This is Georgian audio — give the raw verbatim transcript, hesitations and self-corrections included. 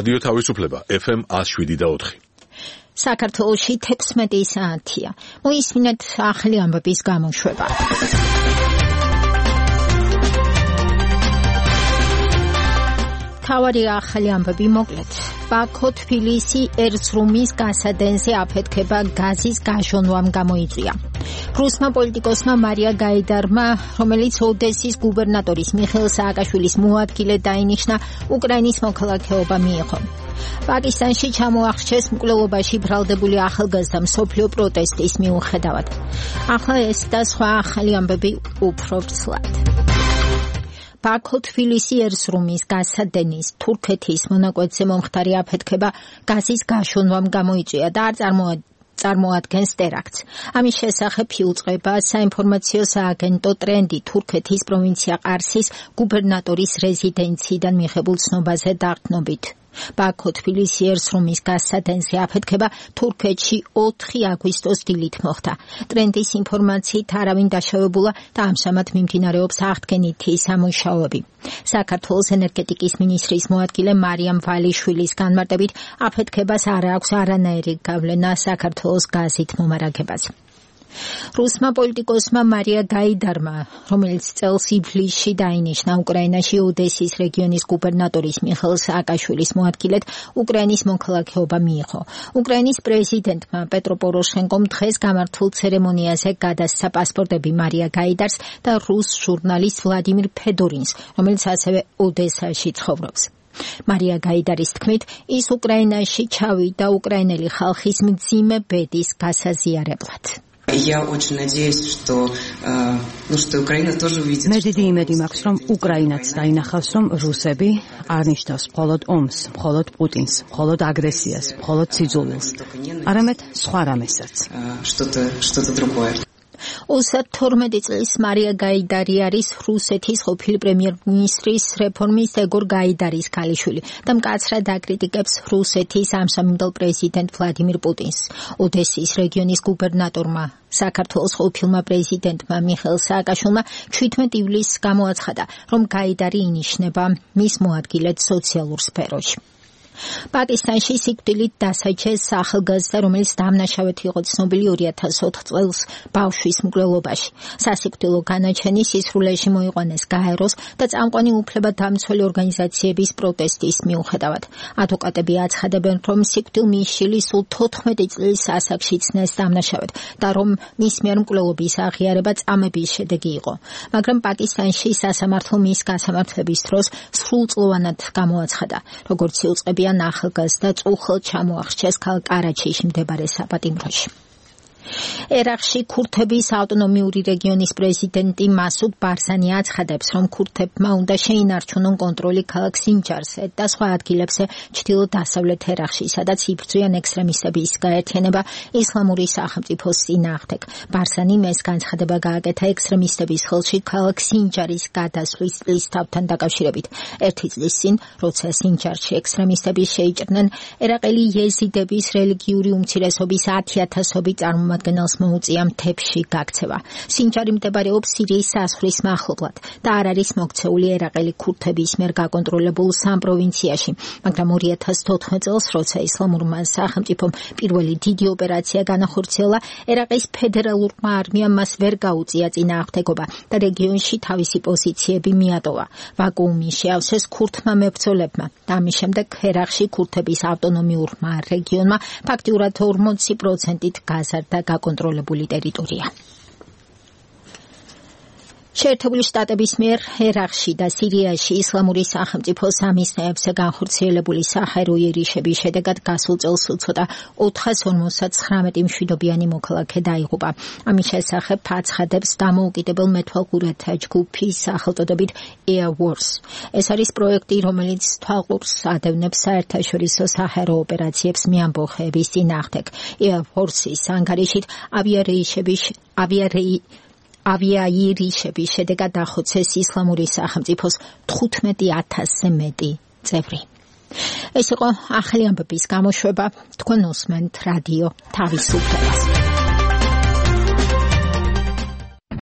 რადიო თავისუფლება ეფ ემ one oh seven point four. საქართველოში თექვსმეტი საათია. მოისმინეთ ახალი ამბების გამოშვება. თავარი ახალი ამბები მოკლედ. ბაქო თბილისი ერწრუმის გასადენზე აფეთქება გაზის გაშონვამ გამოიწვია. რუსმა პოლიტიკოსმა მარია გაიდარმა, რომელიც ოდესის გუბერნატორის მიხეილ სააკაშვილის მოადგილე დაინიშნა, უკრაინის მოქალაქეობა მიიღო. პაკისტანში ჩამოახშეს მკვლელობაში ბრალდებული ახალგაზრდა მსოფლიო პროტესტის მიუხედავად. ახლა ეს და სხვა ახალი ამბები უფრო ვრცლად. ბაქო თბილისი ერწრუმის გასადენის თურქეთის მონაკვეთზე მომხდარი აფეთქება გაზის გაშონვამ გამოიწვია და არ წარმოადგენს წარმოადგენს ტერაქტს. ამის შესახებ იუწყება საინფორმაციო სააგენტო ტრენდი თურქეთის პროვინცია ყარსის გუბერნატორის რეზიდენციიდან მიღებულ ცნობაზე დაყრდნობით. ბაქო თბილისი ერწრუმის გასადენზე აფეთქება თურქეთში ოთხი აგვისტოს დილით მოხდა. ტრენდის ინფორმაციით არავინ დაშავებულა და ამჟამად მიმდინარეობს აღდგენითი სამუშაოები. საქართველოს ენერგეტიკის მინისტრის მოადგილე მარიამ ვალიშვილის განმარტებით აფეთქებას არ აქვს არანაირი გავლენა საქართველოს გაზით მომარაგებაზე. რუსმა პოლიტიკოსმა მარია გაიდარმა, რომელიც წელს ივლისში დაინიშნა უკრაინაში ოდესის რეგიონის გუბერნატორის მიხეილ სააკაშვილის მოადგილედ, უკრაინის მოქალაქეობა მიიღო. უკრაინის პრეზიდენტმა პეტრო პოროშენკომ დღეს გამართულ ცერემონიაზე გადასცა პასპორტები მარია გაიდარს და რუს ჟურნალისტ ვლადიმირ ფედორინს, რომელიც ასევე ოდესაში ცხოვრობს. მარია გაიდარის თქმით, ის უკრაინაში ჩავიდა უკრაინელი ხალხის მძიმე ბედის გასაზიარებლად. Я очень надеюсь, что, э, ну, что Украина тоже увидит. მე დიდი იმედი მაქვს, რომ უკრაინაც დაინახავს, რომ რუსები არ ნიშნავს მხოლოდ ომს, მხოლოდ პუტინს, მხოლოდ აგრესიას, მხოლოდ სიძულვილს, არამედ სხვა რამესაც. Что-то, что-то другое. ოცდათორმეტი წლის მარია გაიდარი არის რუსეთის ყოფილი პრემიერ-მინისტრის რეფორმის ეგორ გაიდარის ქალიშვილი და მკაცრად აკრიტიკებს რუსეთის ამჟამინდელ პრეზიდენტ ვლადიმირ პუტინს. ოდესის რეგიონის გუბერნატორმა საქართველოს ყოფილმა პრეზიდენტმა მიხეილ სააკაშვილმა ჩვიდმეტი ივლისს გამოაცხადა, რომ გაიდარი ინიშნება მის მოადგილედ სოციალურ სფეროში. პაკისტანში სიკვდილით დასაჯეს ახალგაზრდა, რომელიც დამნაშავედ იყო ცნობილი ორი ათას ოთხ წელს ბავშვის მკვლელობაში. სასიკვდილო განაჩენი სისრულეში მოიყვანეს გაეროს და წამყვანი უფლებადამცველი ორგანიზაციების პროტესტის მიუხედავად. ადვოკატები აცხადებენ, რომ სიკვდილმისშილი სულ თოთხმეტი წლის ასაკში ცნეს დამნაშავედ და რომ მის მიერ მკვლელობის აღიარება წამების შედეგი იყო. მაგრამ პაკისტანში სასამართლო მის გასამართლების დროს სრულწლოვანად გამოაცხადა, როგორც იუწყებია ახალგაზრდა წუხელ ჩამოახშეს ქალაქ კარაჩიში მდებარე საპატიმროში. ერაყში ქურთების ავტონომიური რეგიონის პრეზიდენტი მასუდ ბარზანი აცხადებს, რომ ქურთებმა უნდა შეინარჩუნონ კონტროლი ქალაქ სინჯარზე და სხვა ადგილებზე ჩრდილო-დასავლეთ ერაყში, სადაც იბრძვიან ექსტრემისტების გაერთიანება ისლამური სახელმწიფოს წინააღმდეგ. ბარზანიმ ეს განცხადება გააკეთა ექსტრემისტების ხელში ქალაქ სინჯარის გადასვლის წლისთავთან დაკავშირებით. ერთი წლის წინ, როცა სინჯარში ექსტრემისტები შეიჭრნენ ერაყელი იეზიდების რელიგიური უმცირესობის ათი ათასობით წარმომადგენლს მოუწია მთებში გაქცევა. სინჯარი მდებარეობს სირიის საზღვრის მახლობლად და არ არის მოქცეული ერაყელი ქურთების მიერ გაკონტროლებულ სამ პროვინციაში, მაგრამ ორი ათას თოთხმეტ წელს, როცა ისლამურმა სახელმწიფომ პირველი დიდი ოპერაცია განახორციელა, ერაყის ფედერალურმა არმიამ მას ვერ გაუწია წინააღმდეგობა და რეგიონში თავისი პოზიციები მიატოვა. ვაკუუმი შეავსეს ქურთმა მებრძოლებმა და ამის შემდეგ ერაყში ქურთების ავტონომიურმა რეგიონმა ფაქტიურად ორმოცი პროცენტით გაზარდა გაკონტროლებული ტერიტორია. შეერთებული შტატების მიერ ერაყში და სირიაში ისლამური სახელმწიფოს სამიზნეებზე განხორციელებული საჰაერო იერიშების შედეგად გასულ წელს უცოტა ოთხას ორმოცდათხრამეტი მშვიდობიანი მოქალაქე დაიღუპა. ამის შესახებ აცხადებს დამოუკიდებელ მეთვალყურეთა ჯგუფის სახელწოდებით Air Wars. ეს არის პროექტი, რომელიც თვალყურს ადევნებს საერთაშორისო საჰაერო ოპერაციებს მეამბოხეების წინააღმდეგ. Air Force-ის ანგარიშით ავიარეიშების ავიარეი ავიაიერიშების შედეგად დახოცეს ისლამური სახელმწიფოს თხუთმეტი ათასზე მეტი წევრი. ეს იყო ახალი ამბების გამოშვება. თქვენ უსმენთ რადიო თავისუფლებას.